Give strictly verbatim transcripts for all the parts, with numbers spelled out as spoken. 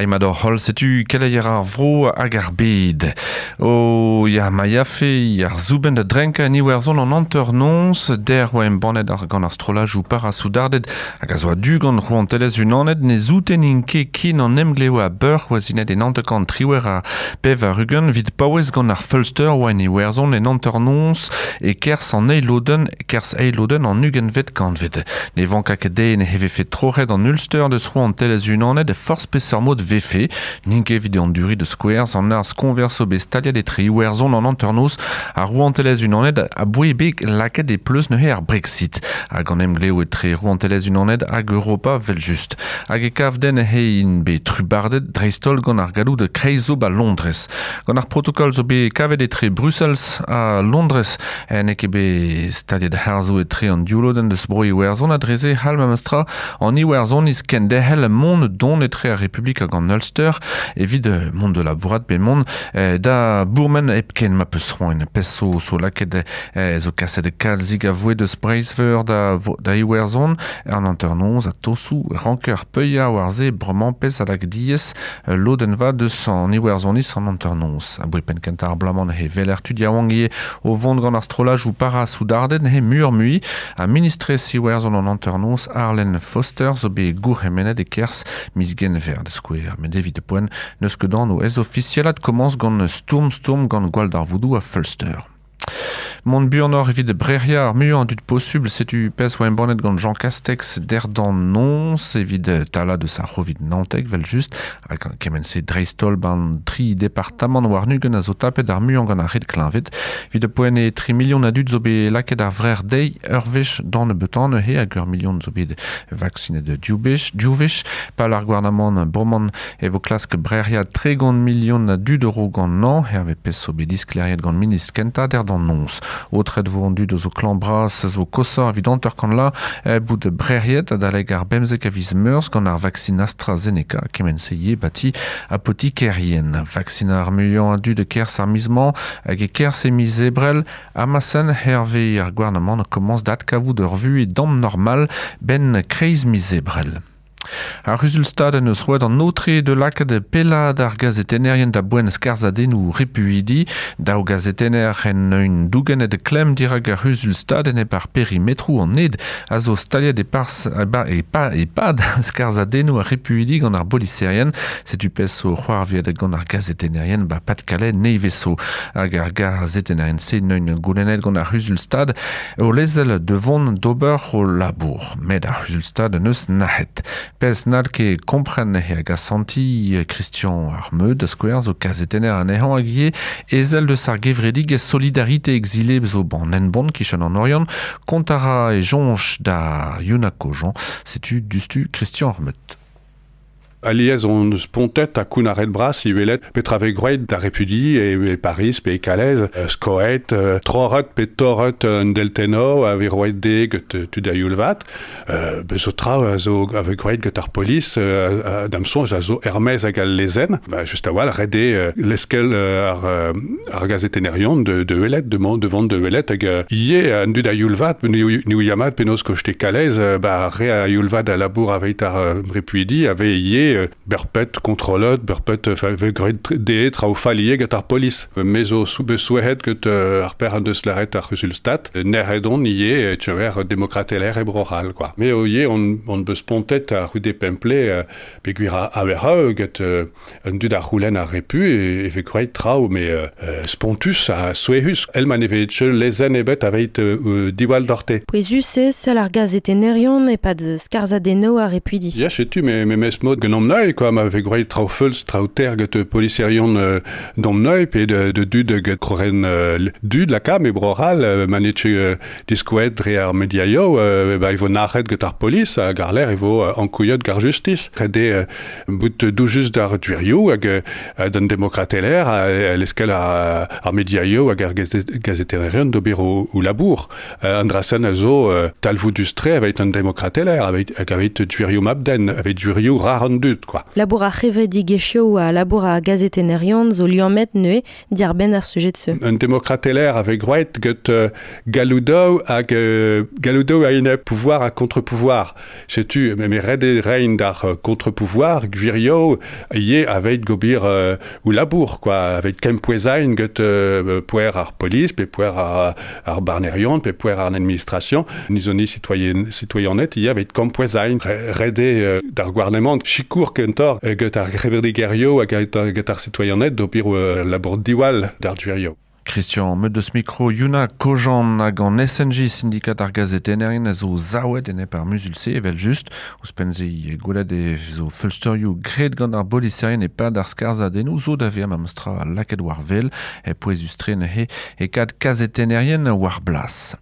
Aimador hol setu keleier ar vro hag ar bed. O ya ma yafe ar zouben da drenka en Iwerzhon an hanternoz der oa embannet ar gant ar strolaj ou parasoudardet hag a zo a du gant rouantelez unanet ne zoutenin ket kin an emgleo a beur oa zinet en hanterkant triwer a pev ar rugen vid paouez gant ar Fulster oa en Iwerzhon en hanternoz e kers an eiloden kers eiloden an ugenvet kantved. Ne vanka ket den heve fet troret an Ulster deus rouantelez unanet e forz peseurt mod vefe, n'int ket evit an duri de Squares an arz konverso bet staliet etre Iwerzhon an hanternoz ar rouantelez unanet a boe bet lakaet e pleus neuze ar Brexit. Hag an emgleo etre rouantelez unanet hag Europa vel just. Hag e kav den he in bet trubardet dreistol gant ar galloud kreiz zo ba Londres. Gant ar protokol zo bet kavet etre Brussels ha Londres en ket bet staliet harzo etre an dioulodenn deus bro Iwerzhon a dreze hal memestra an Iwerzhon is kenderc'hel mont don etre ar Republik hag an Ulster evit mont de labourat pe mont eh, da bourmen hepken ma peus c'hoant peso so lakaet eh, zo kaset kalzig a voe deus Breizh-Veur da, da Iwerzhon an hanternoz a tosou ranker peuia war ze bremañ pez a lak diez lodenn va deus an Iwerzhoniz an hanternoz. A boe penn kentañ ar bloaz-mañ he veler tud yaouank ivez o vont gant ar strolaj ou parasoudardet he mur mui a ministrez Iwerzhon an hanternoz Arlene Foster zo bet gourc'hemennet e kerzh miz Genver da skouer. Met evit poent n'eus ket anv ez ofisialat komañs gant stourm stourm gant gwall darvoudoù a Fulster. Mont buanoc'h evit brec'hiañ ar muiañ an dud posubl setu pezh oa embannet gant Jean Castex derdan noñs evit talañ deus ar c'hovid naontek vel just hag kement-se dreist-holl ban tri departamant war-ugent a zo tapet ar muiañ gant ar red kleñved. Evit poent e tri million a dud zo bet lakaet ar vrec'h dezhi ur wech d'an nebeutañ neuze hag ur million zo bet vaksinet div wech div wech pal ar gouarnamant bremañ e vo klask brec'hiañ tregont million a dud euro gant nañ hervez pezh zo bet disklêriet gant ministr kentañ derdan noñs. Aotret vo an dud zo klañv bras zo koshoc'h evit hanter-kant la bout brec'hiet adalek ar bemzek a viz Meurzh gant ar vaksin AstraZeneca kement-se ivez bati apotikerien. Vaksin ar muiañ a dud e kerzh ar miz-mañ hag e kerzh e miz Ebrel amasen hervez ar gouarnamant komañs d'adkavout ur vuhez dam normal ben kreiz miz Ebrel. Ar C'huzul-Stad en eus roet an aotre de lakaat pellad ar gazetennerien da boent skarzhadennoù repuidi. Daou gazetenner en un dougennet klemm dirak ar C'huzul-Stad enep ar perimetroù an ed a zo staliet e pars ba e pa e pad skarzhadennoù ar repuidi gant ar boliserien. Setu pezh zo c'hoarviet gant ar gazetennerien ba Pas-de-Calais nevez zo. Hag ar gazetennerien-se neun goulennet gant ar C'huzul-Stad o lezel de vont d'ober o labour. Met ar C'huzul-Stad neus nac'het. Pezh n'hall ket kompren hag asanti Christian ar Meud da skouer zo kazetenner anezhañ hag ivez ezel deus ar gevredigezh Solidarité Exilée zo ban Henbont kichen an Oriant kontañ a ra e soñj da Yuna Kojan setu dustu Christian ar Meud. Alies on spontet ha kounnaret bras iwelet petra vez gwraet da repuidi e, e Paris pe e Calais skoet troc'het pe torret un deltenno a vez roet dezhe get tud a youl vat bezo tra a zo a vez gwraet get ar polis da'm soñj a zo er-maez hag al lezenn ba just a-walc'h ret eo leskel ar ar gazetennerion de de welet de mont de vont de welet hag ivez an dud a youl vat ne ouia mat penaos koste Calais ba re a youl vat a labour aveit ar repuidi a vez ivez berpet kontrollet berpet vez graet dezhe traoù fall ivez get ar polis me zo bet souezhet get ar per an deus lâret ar C'huzul-Stad nec'het on ivez tu demokrateler e Bro-C'hall quoi me ivez on on beus spontet ar c'houde pemple peogwir a a get un dud ar c'houlenn ar repu e vez graet traoù mais spontus ha souezhus el ma ne vez lezenn ebet aveit diwall doc'hte. Pouezus eo sell ar gazetennerion e-pad skarzhadennoù ar repuidi. Ya setu me memes mod gant domneuil quoi ma vez graet traoù feuls traoù ter get poliserion euh, domneuil pe de, de dud get kroren euh, dud laka me Bro-C'hall euh, ma n'eo euh, diskouet dre ar mediaio euh, ba e vo nac'het get ar polis hag ar lec'h e vo euh, ankouiet gar justice ret eo euh, bout doujus d'ar gwirioù hag euh, d'an demokrateler a leskel ar, ar mediaio hag ar gazetennerion d'ober o, o labour euh, an dra-sen a zo euh, talvoudus-tre aveit an demokrateler aveit hag aveit gwirioù mabden aveit gwirioù rar an dud. dud, quoi. Labour ar c'hevredigezhioù ha labour ar gazetenerion zo liammet neuze diàr benn ar sujet se. Un demokrateler avec groet get euh, galoudo hag euh, galoudo a ine pouvoir a contre-pouvoir. Setu, me red e rein d'ar contre-pouvoir gvirio ye avec gobir euh, ou labour, quoi, avec kempoezain get euh, pouer ar police, pe pouer ar, ar barnerion, pe pouer ar administration, nizoni citoyen citoyennet ye avec kempoezain rede euh, d'ar gouarnement chikour kentor get ar c'hevredigezhioù hag get ar citoyennet d'obir euh, labour diwall d'ar duerio. Christian meut deus mikro Yuna Kojan hag an S N J syndikat ar gazetennerien a zo zaouet enep ar muzul-se evel just ouzhpenn-se gwelet e zo feulsterioù graet gant ar boliserien e-pad ar skarzhadennoù zo da vezañ ma meustra lakaet war wel e pouezus-tre neuze e kad kazetennerien war blas.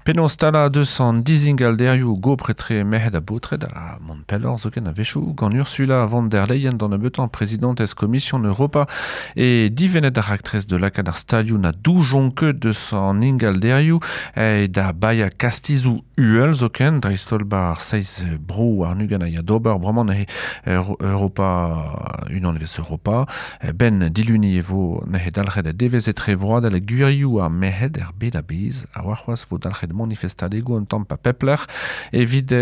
Penaos stalañ deus an dizingalderioù gopr-etre merc'hed ha baotred a mont pelloc'h zoken a-wechoù gant Ursula von der Leyen d'an nebeutañ prezidentez Komision Europa e divennet ar raktres de lakaat ar stalioù na doujon ket deus an ingalderioù e da baia kastizou uhel zoken dreist-holl ba ar seizh bro ar nugan a ya d'ober bremañ neuze Europa unan evez Europa ben diluni e vo neuze dalc'het a devez etre vroadel gwirioù ar merc'hed er bed a-bezh a warc'hoazh vo dalc'het manifestadegoù un tamm pa pepler evit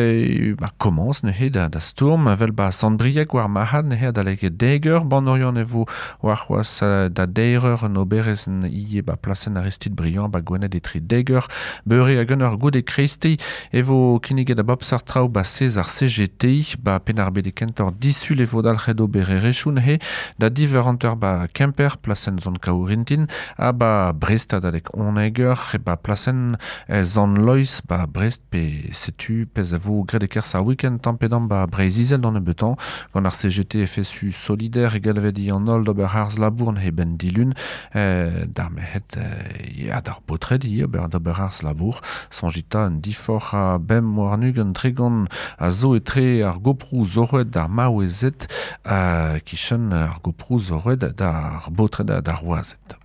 ba komañs neuze da, da stourm vel ba Sant-Brieg war marc'had neuze adalek deg eur Banorion e vo warc'hoazh da deir eur an oberezh ie ba plasenn Aristide Briand ba Gwened etre deg eur beure hag un eur goude kreisteiz e vo kinniget a bep seurt traoù ba sez ar C G T ba Penn-ar-Bed e kentoc'h disul e vo dalc'het obererezhioù neuze da div eur hanter ba Kemper plasenn Sant Kaourintin ha ba Brest adalek unnek eur e ba plasenn Sant Loeiz ba Brest pe setu pezh a vo graet e-kerzh ar week-end tamm pe damm ba Breizh-Izel d'an nebeutañ gant ar C G T F S U solidaire e galvet i an holl d'ober harz labour neuze ben dilun eh, d'ar merc'hed ya d'ar baotred ivez ober d'ober harz labour soñjita un diforc'h a bemp warn-ugent tregont a zo etre ar goproù zorroet d'ar maouezed uh, kichen ar goproù zorroet d'ar baotred d'ar wazed.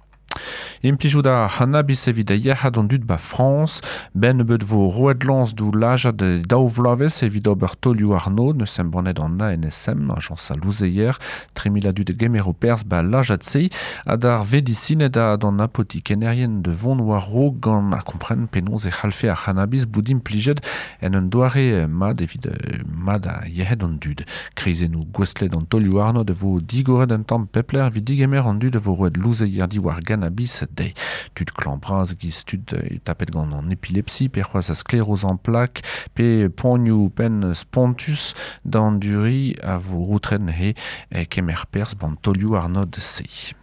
Implijout ar c'hannabis evit a yec'had an dud ba Frañs, ben nebeut vo roet lañs d'ou lajad daou vloavezh evit ober taolioù arnod, neus embannet an A N S M, ajañs a louzeier, tri mil a dud gemero perzh ba lajad-se, ha d'ar vedisined ha d'an apotikenerien de vont war raok gant a kompren penaos e c'hallfe ar c'hannabis bout implijet en un doare mat evit mat a yec'hed an dud. Kreizennoù gouestlet an taolioù arnod vo digoret un tamm pepler evit digemer an dud vo roet louzeier diwar gannabis dezhe. Tud klañv bras giz tud tapet gant an epilepsi, pe c'hoazh a skleroz en plak, pe poanioù penn spontus d'an duri a vo routren he kemer perzh ban taolioù arnod se.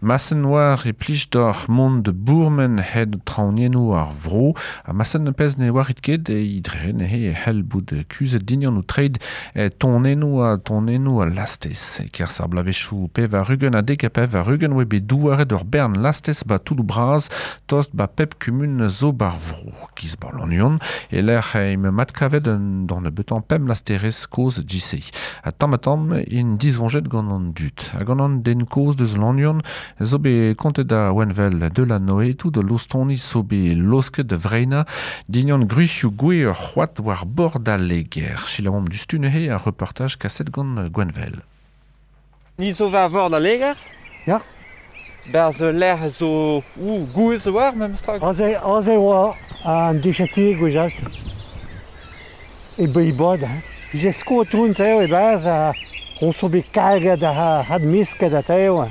Masen war e plij d'ar mont de bourmen hed traoñiennoù ar vro, ha masen pezh ne warit ket e idre ne he hell bout kuzhet dignan ou treid e tonennoù ha tonennoù a lastez. E kerzh ar bloavezhioù pevar ugent ha dek ha pevar ugent oa bet douaret ur bern lastez ba toulloù bras tost ba pep kumun zo bar vro. Giz ba Lannuon e lec'h eo mat kavet un d'an nebeutañ pemp lasterez kozh J C. Ha tamm ha tamm int disoñjet gant an dud. Ha gant an den kozh deus Lannuon zo bet kontet da Wenvel de la Noé tout de lostoni zo bet losket de vreina dignan gruchioù gwe ur c'hoad war bord al leger. Selaouomp dustu neuze ar reportaj kaset gant Gwenvel. Ni zo war bord al leger? Ya. Berz lec'h zo ou gouez war memes tra. Aze, aze oa an dichati gwejal. E beibod. Vije sko toun teo e baz a on so bet karget a had misket a teo.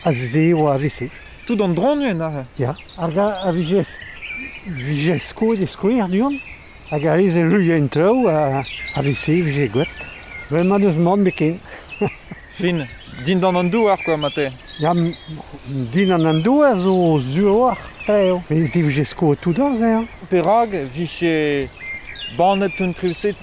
A ze oa a vese. Tout an dronuen aze? Ya. Ar ga a vije, vije sko de skouer du-hont. Hag a rez e luien treo a, a vese vije gwet. Bremañ deus mann beken. Fin, din d'an an douar quoi mate. Ya, din an an douar zo zuoar treo. Mais si vije sko tout an ze. Perag vije bannet tout triuse,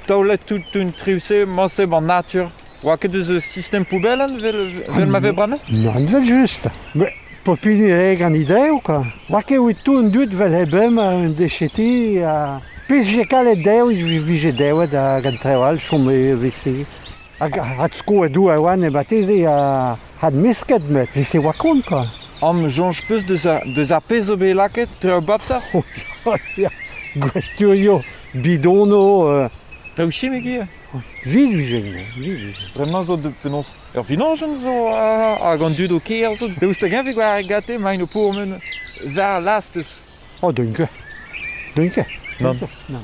taolet tout un triuse, mañse ban natur. Oa ket eus system poubellen vel, vel ma ve bremañ? Nann, vel just. Mais popini reg an ideo, quoi. Oa ket oa tout an dud vel hebem un décheti a... Pez vije kalet deo, vije devet hag an treo all chom e vese. Hag had sko a dou a oan e bateze a had mesket met, vese oa kont, quoi. Am soñj peus deus ar, deus ar pezh zo bet lakaet, treo bapsar? Oh, ya, gwesturio, bidono... Euh, Traoù chimik ivez. Vid vije, vid vije. Bremañ zo de penaos ur vidanjenn zo hag an dud o kêr zo. Daoust hag-eñ vez war gate maint o pourmen war lastez. Oh, deuint ket. Deuint ket. Nann. Nann.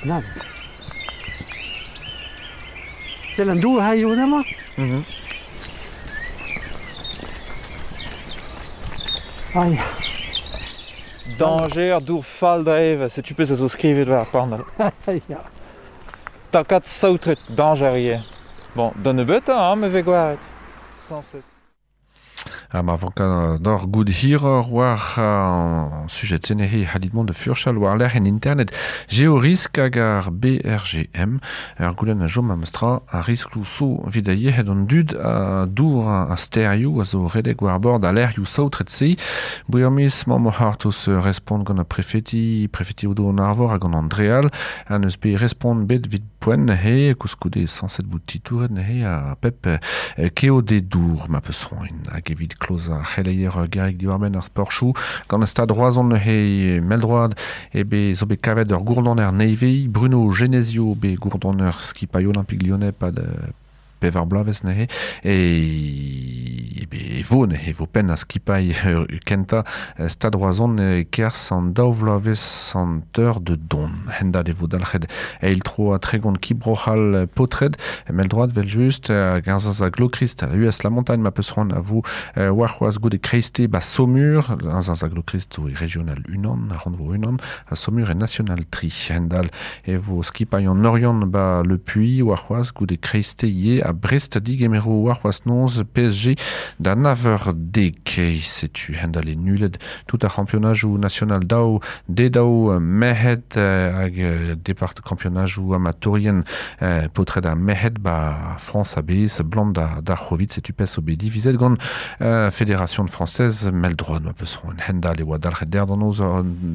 Nann. Sell an dour ha eo amañ? Mhm. Ai, Danger dour fall da eva, setu pezh a zo skrivet war ar panel. ya. Takad saotret, danger ivez. Bon, da nebeutañ, hein, me vez gwaret. Sañset. Ha ma vanka d'or goud hiror war an sujet senehe halit mont de furchal war lec'h en internet Géorisk hag ar B R G M ur goulenn a jom am stra a risklou so vid a yehed an dud a dour a sterioù a zo redek war bord a lec'hioù saotret se Briamis mamm o c'hartos respont gant a prefeti prefeti odo an arvor hag an Andreal an eus pe respont bet vid poent he koulskoude sañset bout titouret he a pep keo de dour ma peus roin hag evit kloz ar c'heleier garek diwar-benn ar sportchou gant stad Roazhon he meldroad e be zo bet kavet ur gourdonner nevez Bruno Genesio be gourdonner skipailh Olympique Lyonnais pad pevar bloavezh neuze e e be e vo neuze e vo penn a skipailh kenta Stad Roazhon kerzh an daou vloavezh an teur de don hendad e vo dalc'het eil tro a tregont kibrochal potred meldroad vel just garzaz a Glokrist a U S La Montagne ma peus c'hoant a vo warc'hoazh goude kreiste ba Saumur garzaz a Glokrist zo e regional unan a rannvro unan a Saumur e national tri hendal e vo skipailh an Oriant ba Le Puy warc'hoazh goude kreiste ivez a Brest digemero warc'hoazh noz P S G da naver dek setu hendal e nullet tout ar championnajoù national daou dedaou merc'hed hag depart championnajoù amatorien potred a merc'hed ba France a-bezh blam da da c'hovid setu pes o bet divizet gant Fédération française meldroad ma peus c'hoant hendal e oa dalc'het der d'an noz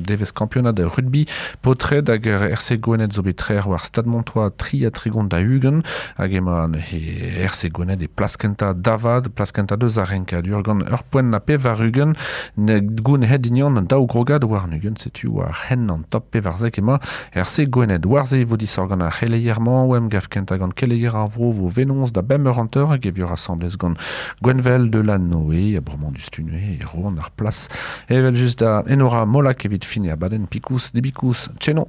devez championat rugby potred hag R C Gwened zo bet trec'h war Stade Montois tri ha tregont da ugent hag emañ he R C Gwened e plas kentañ davad, plas kentañ deus ar renkadur gant ur poent na pevar ugent goun het dignan daou grogad war an ugent setu war hen an top pevarzek emañ R C Gwened war ze vo disor gant ar c'heleier-mañ oem gav kentañ gant keleier ar vro vo venons da bemp eur hanter hag e vior asamblez gant Gwenvel de la Noé a bremañ du stune e roan ar plas evel just da Enora Molak evit fini abadenn pikous debikous tcheno.